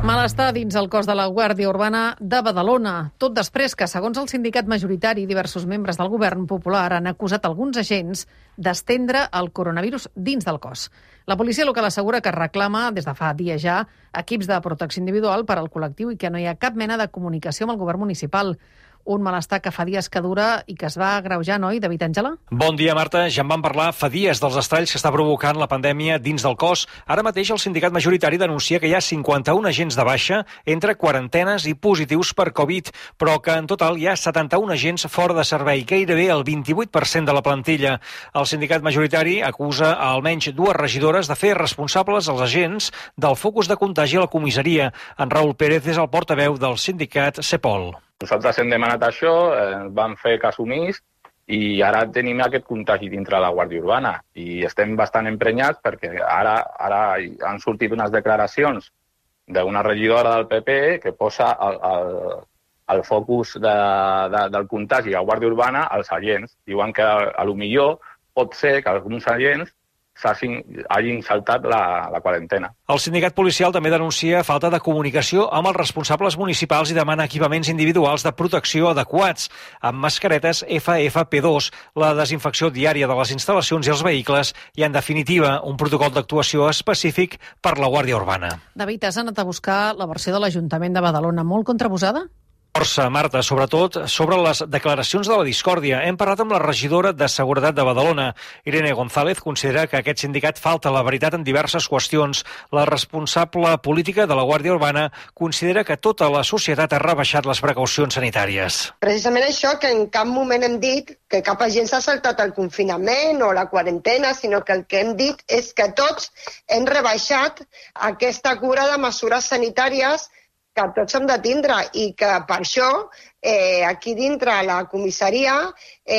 Malestar dins el cos de la Guàrdia Urbana de Badalona, tot després que, segons el sindicat majoritari, diversos membres del govern popular han acusat alguns agents d'estendre el coronavirus dins del cos. La policia local assegura que reclama, des de fa dies ja, equips de protecció individual per al col·lectiu i que no hi ha cap mena de comunicació amb el govern municipal. Un malestar que fa dies que dura i que es va agreujar, noi, David Àngela? Bon dia, Marta. Ja en vam parlar fa dies dels estralls que està provocant la pandèmia dins del cos. Ara mateix el sindicat majoritari denuncia que hi ha 51 agents de baixa entre quarantenes i positius per Covid, però que en total hi ha 71 agents fora de servei, gairebé el 28% de la plantilla. El sindicat majoritari acusa a almenys 2 regidores de fer responsables els agents del focus de contagi a la comissaria. En Raül Pérez és el portaveu del sindicat CEPOL. Nosaltres hem demanat això, vam fer cas omís i ara tenim aquest contagi dintre la Guàrdia Urbana i estem bastant emprenyats perquè ara han sortit unes declaracions d'una regidora del PP que posa el focus del contagi a Guàrdia Urbana als agents. Diuen que potser pot ser que alguns agents hagin saltat la quarantena. El sindicat policial també denuncia falta de comunicació amb els responsables municipals i demana equipaments individuals de protecció adequats, amb mascaretes FFP2, la desinfecció diària de les instal·lacions i els vehicles i, en definitiva, un protocol d'actuació específic per la Guàrdia Urbana. David, has anat a buscar la versió de l'Ajuntament de Badalona, molt contraposada? Força, Marta, sobretot sobre les declaracions de la discòrdia. Hem parlat amb la regidora de Seguretat de Badalona. Irene González considera que aquest sindicat falta la veritat en diverses qüestions. La responsable política de la Guàrdia Urbana considera que tota la societat ha rebaixat les precaucions sanitàries. Precisament això, que en cap moment hem dit que cap agent s'ha saltat el confinament o la quarantena, sinó que el que hem dit és que tots hem rebaixat aquesta cura de mesures sanitàries que tots hem de tindre i que per això aquí dintre la comissaria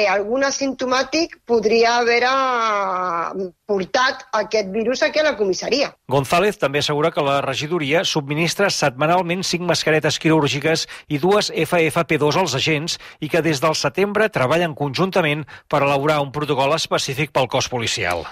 algun asimptomàtic podria haver portat aquest virus aquí a la comissaria. González també assegura que la regidoria subministra setmanalment 5 mascaretes quirúrgiques i 2 FFP2 als agents i que des del setembre treballen conjuntament per elaborar un protocol específic pel cos policial.